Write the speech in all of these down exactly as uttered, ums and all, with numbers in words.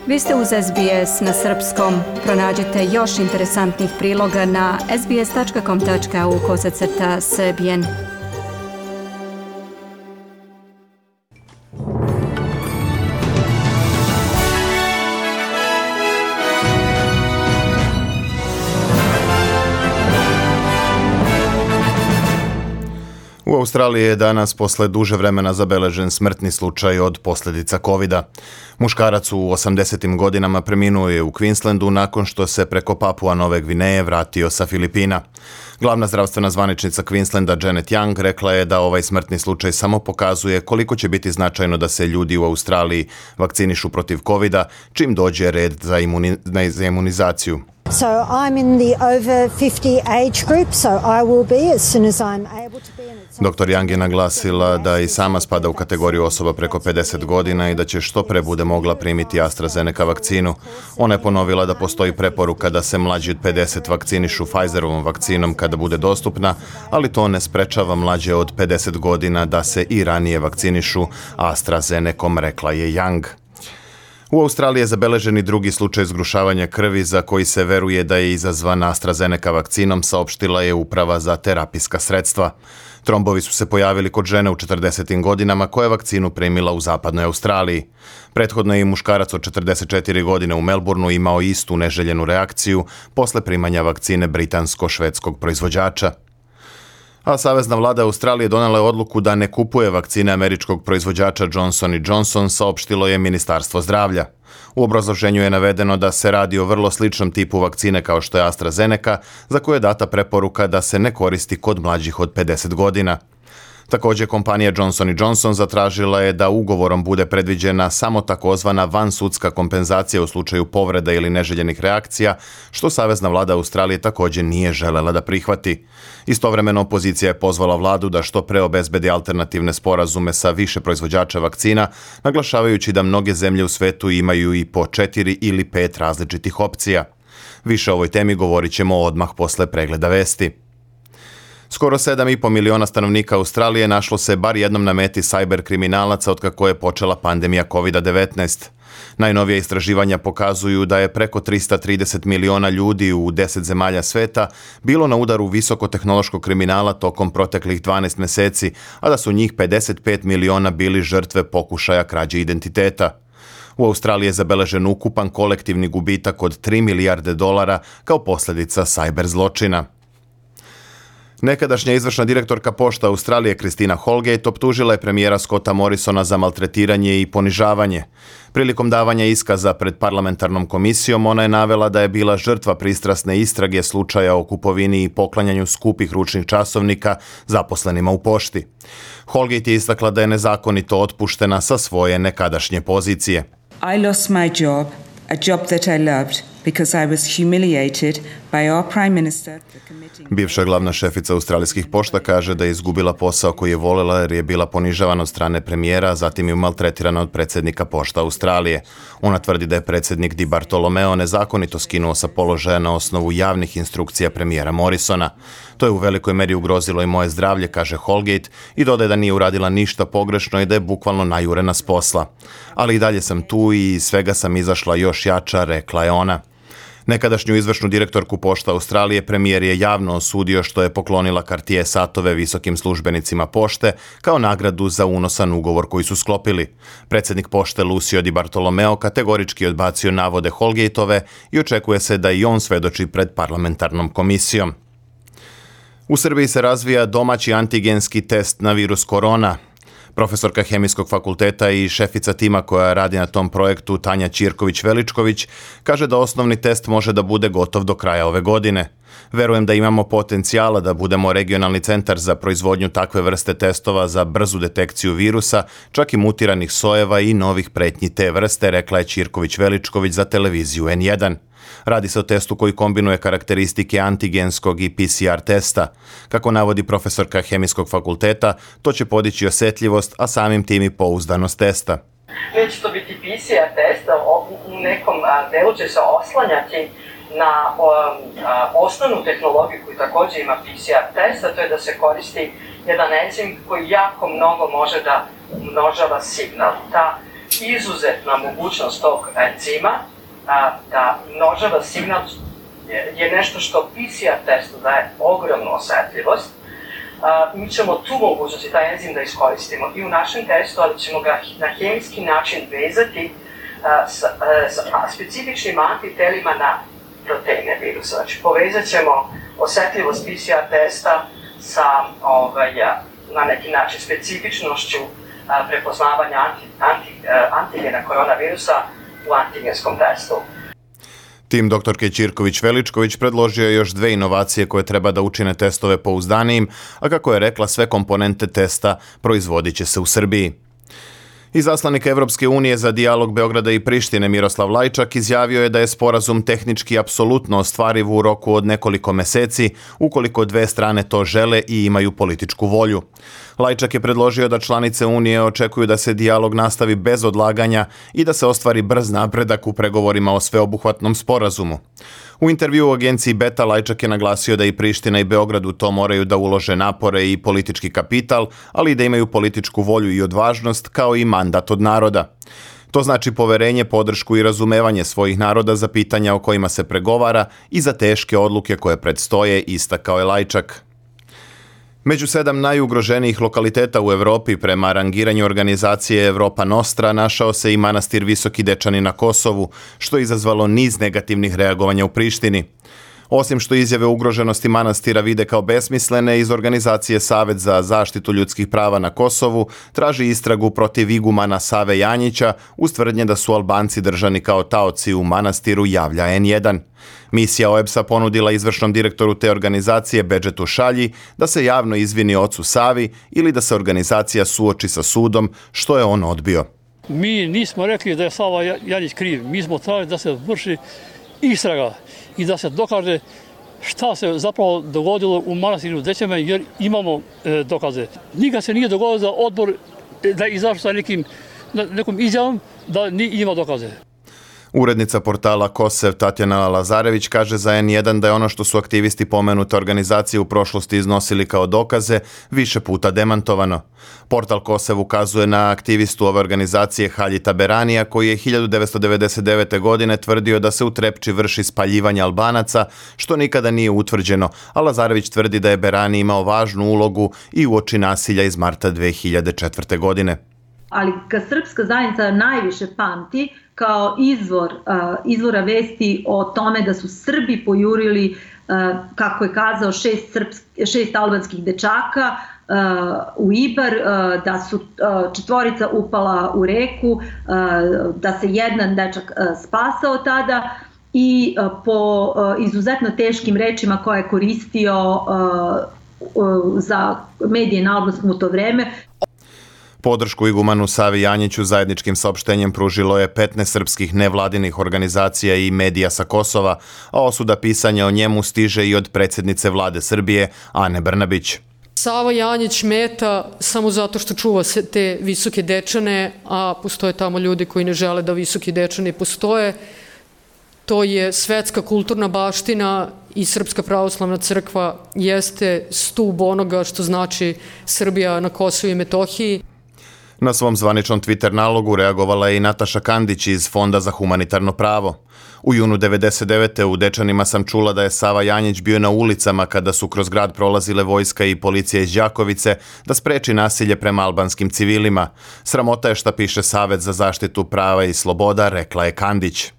Vi ste uz S B S na srpskom. Pronađite još interesantnih priloga na sbs.com.au kosacrta srbijen. U Australiji je danas posle duže vremena zabeležen smrtni slučaj od posljedica kovida. Muškarac u osamdesetim godinama preminuo je u Queenslandu nakon što se preko Papua Nove Gvineje vratio sa Filipina. Glavna zdravstvena zvaničnica Queenslanda Janet Young rekla je da ovaj smrtni slučaj samo pokazuje koliko će biti značajno da se ljudi u Australiji vakcinišu protiv kovida čim dođe red za, imuni, za imunizaciju. So I'm in the over fifty age group, so I will be as soon as I'm able to be. Doktor Young je naglasila da i sama spada u kategoriju osoba preko pedeset godina i da će što pre bude mogla primiti AstraZeneca vakcinu. Ona je ponovila da postoji preporuka da se mlađi od pedeset vakcinišu Pfizerovom vakcinom kada bude dostupna, ali to ne sprečava mlađe od pedeset godina da se i ranije vakcinišu AstraZenecom, rekla je Young. U Australiji je zabeležen i drugi slučaj zgrušavanja krvi za koji se veruje da je izazvan AstraZeneca vakcinom, saopštila je Uprava za terapijska sredstva. Trombovi su se pojavili kod žene u četrdesetim godinama koja je vakcinu primila u zapadnoj Australiji. Prethodno je i muškarac od četrdeset četiri godine u Melbourneu imao istu neželjenu reakciju posle primanja vakcine britansko-švedskog proizvođača. A savezna vlada Australije donela je odluku da ne kupuje vakcine američkog proizvođača Johnson and Johnson, saopštilo je Ministarstvo zdravlja. U obrazloženju je navedeno da se radi o vrlo sličnom tipu vakcine kao što je AstraZeneca, za koje je data preporuka da se ne koristi kod mlađih od pedeset godina. Također, kompanija Johnson and Johnson zatražila je da ugovorom bude predviđena samo takozvana vansudska kompenzacija u slučaju povreda ili neželjenih reakcija, što savezna vlada Australije također nije želela da prihvati. Istovremeno, opozicija je pozvala vladu da što pre obezbedi alternativne sporazume sa više proizvođača vakcina, naglašavajući da mnoge zemlje u svetu imaju i po četiri ili pet različitih opcija. Više o ovoj temi govorit ćemo odmah posle pregleda vesti. Skoro sedam i po miliona stanovnika Australije našlo se bar jednom na meti sajber kriminalaca otkako je počela pandemija kovid devetnaest. Najnovija istraživanja pokazuju da je preko trista trideset miliona ljudi u deset zemalja sveta bilo na udaru visokotehnološkog kriminala tokom proteklih dvanaest meseci, a da su njih pedeset pet miliona bili žrtve pokušaja krađe identiteta. U Australiji je zabeležen ukupan kolektivni gubitak od tri milijarde dolara kao posljedica sajber zločina. Nekadašnja izvršna direktorka Pošta Australije Christina Holgate optužila je premijera Scotta Morrisona za maltretiranje i ponižavanje. Prilikom davanja iskaza pred parlamentarnom komisijom ona je navela da je bila žrtva pristrasne istrage slučaja o kupovini i poklanjanju skupih ručnih časovnika zaposlenima u pošti. Holgate je istakla da je nezakonito otpuštena sa svoje nekadašnje pozicije. I lost my job, a job that I loved, because I was humiliated by our prime minister. Bivša glavna šefica australijskih pošta kaže da je izgubila posao koji je voljela jer je bila ponižavana od strane premijera, a zatim je maltretirana od predsjednika Pošta Australije. Ona tvrdi da je predsjednik Di Bartolomeo nezakonito skinuo sa položaja na osnovu javnih instrukcija premijera Morrisona. To je u velikoj meri ugrozilo i moje zdravlje, kaže Holgate, i dodaje da nije uradila ništa pogrešno i da je bukvalno najurena s posla. Ali i dalje sam tu i svega sam izašla još jača, rekla je ona. Nekadašnju izvršnu direktorku Pošta Australije premijer je javno osudio što je poklonila Cartier satove visokim službenicima pošte kao nagradu za unosan ugovor koji su sklopili. Predsjednik pošte Lucio Di Bartolomeo kategorički odbacio navode Holgateove i očekuje se da i on svedoči pred parlamentarnom komisijom. U Srbiji se razvija domaći antigenski test na virus korona. Profesorka Hemijskog fakulteta i šefica tima koja radi na tom projektu, Tanja Ćirković-Veličković, kaže da osnovni test može da bude gotov do kraja ove godine. Verujem da imamo potencijala da budemo regionalni centar za proizvodnju takve vrste testova za brzu detekciju virusa, čak i mutiranih sojeva i novih pretnji te vrste, rekla je Ćirković-Veličković za televiziju N jedan. Radi se o testu koji kombinuje karakteristike antigenskog i P C R testa. Kako navodi profesorka Hemijskog fakulteta, to će podići osjetljivost, a samim tim i pouzdanost testa. Neće to biti P C R test, u nekom delu će se oslanjati na osnovnu tehnologiju koju također ima P C R test, a to je da se koristi jedan enzim koji jako mnogo može da umnožava signal. Ta izuzetna mogućnost tog enzima a, da množava signal je, je nešto što P C R testu daje ogromnu osetljivost. A, mi ćemo tu mogućnost i taj enzim da iskoristimo i u našem testu, ali ćemo ga na hemijski način vezati a, sa, a, sa specifičnim antitelima na proteine virusa. Znači, povezat ćemo osetljivost P C R testa sa ovaj, na neki način specifičnošću a, prepoznavanja anti, anti, antigena koronavirusa u antigenskom testu. Tim doktorke Ćirković-Veličković predložio je još dve inovacije koje treba da učine testove pouzdanijim, a kako je rekla, sve komponente testa proizvodit će se u Srbiji. Izaslanik Evropske unije za dijalog Beograda i Prištine Miroslav Lajčak izjavio je da je sporazum tehnički apsolutno ostvariv u roku od nekoliko meseci, ukoliko dve strane to žele i imaju političku volju. Lajčak je predložio da članice Unije očekuju da se dijalog nastavi bez odlaganja i da se ostvari brz napredak u pregovorima o sveobuhvatnom sporazumu. U intervju u agenciji Beta Lajčak je naglasio da i Priština i Beograd u to moraju da ulože napore i politički kapital, ali i da imaju političku volju i odvažnost kao i mandat od naroda. To znači poverenje, podršku i razumevanje svojih naroda za pitanja o kojima se pregovara i za teške odluke koje predstoje, istakao je Lajčak. Među sedam najugroženijih lokaliteta u Evropi prema rangiranju organizacije Evropa Nostra našao se i manastir Visoki Dečani na Kosovu, što je izazvalo niz negativnih reagovanja u Prištini. Osim što izjave ugroženosti manastira vide kao besmislene, iz organizacije Savet za zaštitu ljudskih prava na Kosovu traži istragu protiv igumana Save Janjića uz tvrdnje da su Albanci držani kao taoci u manastiru, javlja N jedan. Misija O E B S-a ponudila izvršnom direktoru te organizacije Bedžetu Šalji da se javno izvini ocu Savi ili da se organizacija suoči sa sudom, što je on odbio. Mi nismo rekli da je Sava Janjić kriv, mi smo tražili da se vrši istraga i da se dokaže šta se zapravo dogodilo u manastiru Dećeme, jer imamo e, dokaze. Nikad se nije dogodilo da odbor da izašao sa nekim, nekom izjavom da ni ima dokaze. Urednica portala Kosev Tatjana Lazarević kaže za N jedan da je ono što su aktivisti pomenute organizacije u prošlosti iznosili kao dokaze više puta demantovano. Portal Kosev ukazuje na aktivistu ove organizacije Haljita Beranija koji je hiljadu devetsto devedeset devete. godine tvrdio da se u Trepči vrši spaljivanje Albanaca, što nikada nije utvrđeno, a Lazarević tvrdi da je Berani imao važnu ulogu i uoči nasilja iz marta dve hiljade četvrte. godine. Ali kad srpska zajednica najviše pamti kao izvor, uh, izvora vesti o tome da su Srbi pojurili, uh, kako je kazao, šest, srpsk, šest albanskih dečaka uh, u Ibar, uh, da su uh, četvorica upala u reku, uh, da se jedan dečak uh, spasao tada i uh, po uh, izuzetno teškim rečima koje je koristio uh, uh, za medije na albanskom u to vreme. Podršku igumanu Savi Janjiću zajedničkim saopštenjem pružilo je petnaest srpskih nevladinih organizacija i medija sa Kosova, a osuda pisanja o njemu stiže i od predsjednice vlade Srbije, Ane Brnabić. Sava Janjić meta samo zato što čuva te Visoke Dečane, a postoje tamo ljudi koji ne žele da Visoki Dečani postoje. To je svetska kulturna baština i Srpska pravoslavna crkva jeste stub onoga što znači Srbija na Kosovu i Metohiji. Na svom zvaničnom Twitter nalogu reagovala je i Nataša Kandić iz Fonda za humanitarno pravo. U junu devedeset devete. u Dečanima sam čula da je Sava Janjić bio na ulicama kada su kroz grad prolazile vojska i policija iz Đakovice da spreči nasilje prema albanskim civilima. Sramota je šta piše Savet za zaštitu prava i sloboda, rekla je Kandić.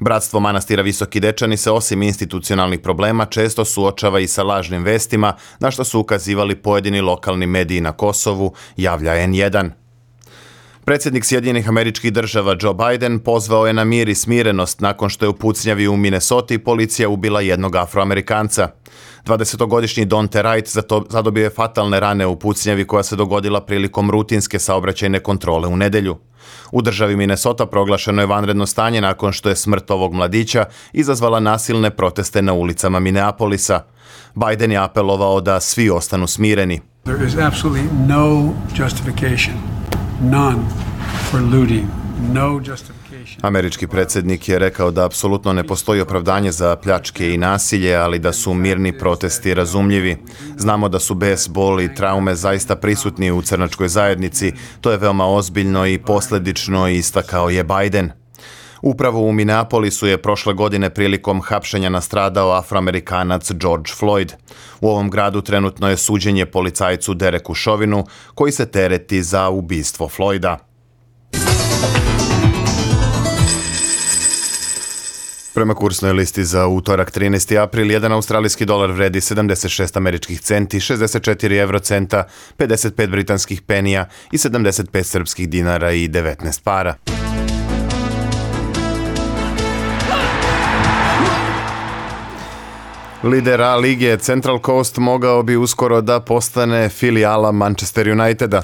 Bratstvo manastira Visoki Dečani se osim institucionalnih problema često suočava i sa lažnim vestima, na što su ukazivali pojedini lokalni mediji na Kosovu, javlja N jedan. Predsjednik Sjedinjenih Američkih Država Joe Biden pozvao je na mir i smirenost nakon što je u pucnjavi u Minnesoti policija ubila jednog Afroamerikanca. dvadesetogodišnji Donte Wright zadobio je fatalne rane u pucnjavi koja se dogodila prilikom rutinske saobraćajne kontrole u nedelju. U državi Minnesota proglašeno je vanredno stanje nakon što je smrt ovog mladića izazvala nasilne proteste na ulicama Minneapolisa. Biden je apelovao da svi ostanu smireni. There is absolutely no justification, none for looting, no justification. Američki predsjednik je rekao da apsolutno ne postoji opravdanje za pljačke i nasilje, ali da su mirni protesti razumljivi. Znamo da su bes, bol i traume zaista prisutni u crnačkoj zajednici. To je veoma ozbiljno i posljedično, istakao je Biden. Upravo u Minneapolisu je prošle godine prilikom hapšenja nastradao Afroamerikanac George Floyd. U ovom gradu trenutno je suđenje policajcu Dereku Chauvinu, koji se tereti za ubistvo Floyda. Prema kursnoj listi za utorak trinaesti april, jedan australijski dolar vredi sedamdeset šest američkih centi, šezdeset četiri evrocenta, pedeset pet britanskih penija i sedamdeset pet srpskih dinara i devetnaest para. Lider A lige Central Coast mogao bi uskoro da postane filijala Manchester Uniteda.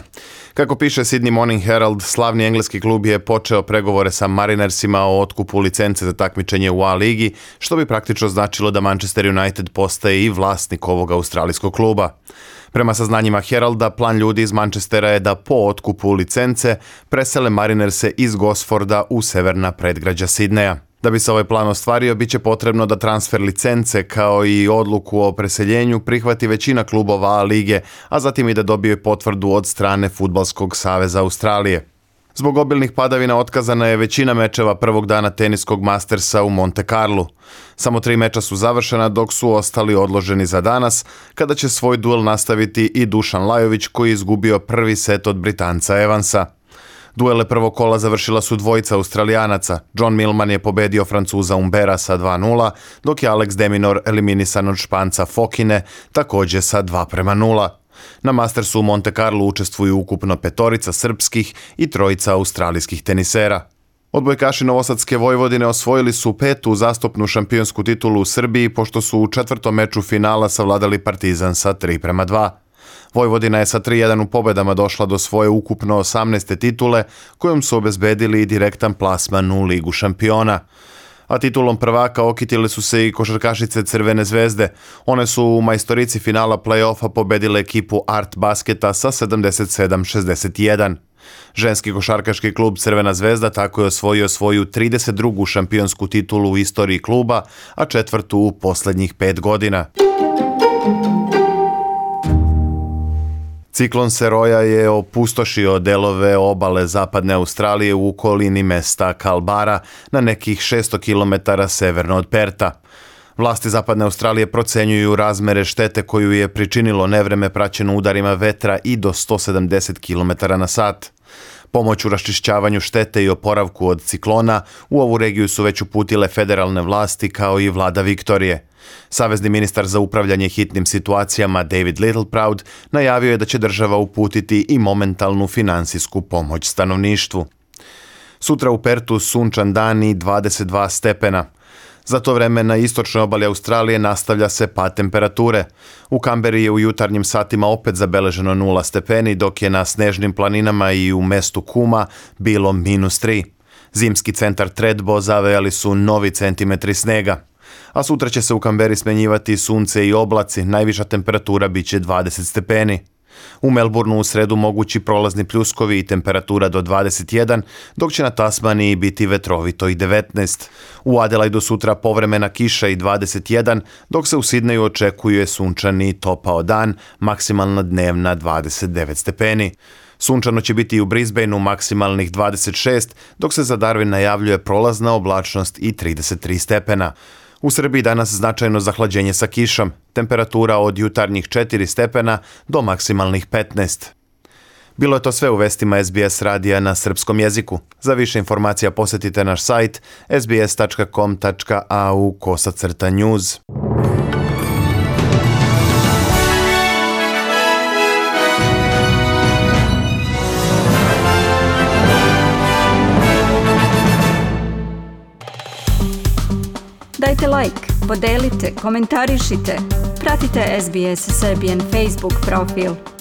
Kako piše Sydney Morning Herald, slavni engleski klub je počeo pregovore sa Marinersima o otkupu licence za takmičenje u A ligi, što bi praktično značilo da Manchester United postaje i vlasnik ovog australijskog kluba. Prema saznanjima Heralda, plan ljudi iz Manchestera je da po otkupu licence presele Marinerse iz Gosforda u severna predgrađa Sidneja. Da bi se ovaj plan ostvario, bit će potrebno da transfer licence kao i odluku o preseljenju prihvati većina klubova A lige, a zatim i da dobije potvrdu od strane Fudbalskog saveza Australije. Zbog obilnih padavina otkazana je većina mečeva prvog dana teniskog Mastersa u Monte Carlu. Samo tri meča su završena, dok su ostali odloženi za danas, kada će svoj duel nastaviti i Dušan Lajović, koji je izgubio prvi set od Britanca Evansa. Duele prvog kola završila su dvojica Australijanaca. John Millman je pobedio Francuza Umbera sa dva nula, dok je Alex de Minaur eliminisan od Španca Fokine, također sa dva prema nula. Na Mastersu u Monte Carlo učestvuju ukupno petorica srpskih i trojica australijskih tenisera. Odbojkaši Novosadske Vojvodine osvojili su petu zastupnu šampionsku titulu u Srbiji, pošto su u četvrtom meču finala savladali Partizan sa tri prema dva. Vojvodina je sa tri jedan u pobedama došla do svoje ukupno osamnaeste titule, kojom su obezbedili i direktan plasman u Ligu šampiona. A titulom prvaka okitile su se i košarkašice Crvene zvezde. One su u majstorici finala play-offa pobedile ekipu Art Basketa sa sedamdeset sedam šezdeset jedan. Ženski košarkaški klub Crvena zvezda tako je osvojio svoju trideset drugu šampionsku titulu u istoriji kluba, a četvrtu u posljednjih pet godina. Ciklon Seroja je opustošio delove obale zapadne Australije u okolini mesta Kalbara na nekih šesto kilometara severno od Perta. Vlasti zapadne Australije procenjuju razmere štete koju je pričinilo nevreme praćeno udarima vetra i do sto sedamdeset kilometara na sat. Pomoć u raščišćavanju štete i oporavku od ciklona u ovu regiju su već uputile federalne vlasti kao i vlada Viktorije. Savezni ministar za upravljanje hitnim situacijama David Littleproud najavio je da će država uputiti i momentalnu finansijsku pomoć stanovništvu. Sutra u Pertu sunčan dan i dvadeset dva stepena. Za to vreme na istočnoj obali Australije nastavlja se pad temperature. U Kamberi je u jutarnjim satima opet zabeleženo nula stepeni, dok je na snežnim planinama i u mestu Kuma bilo minus tri. Zimski centar Tredbo zavejali su novi centimetri snega. A sutra će se u Kamberi smenjivati sunce i oblaci, najviša temperatura bit će dvadeset stepeni. U Melbourneu u sredu mogući prolazni pljuskovi i temperatura do dvadeset jedan, dok će na Tasmaniji biti vetrovito i devetnaest. U Adelaidu sutra povremena kiša i dvadeset jedan, dok se u Sidneju očekuje sunčani i topao dan, maksimalna dnevna dvadeset devet stepeni. Sunčano će biti i u Brisbaneu maksimalnih dvadeset šest, dok se za Darwin najavljuje prolazna oblačnost i trideset tri stepena. U Srbiji danas značajno zahlađenje sa kišom, temperatura od jutarnjih četiri stepena do maksimalnih petnaest. Bilo je to sve u vestima S B S radija na srpskom jeziku. Za više informacija posjetite naš sajt s b s tačka com tačka a u kosacrta news. Dajte like, podelite, komentarišite, pratite S B S Serbian Facebook profil.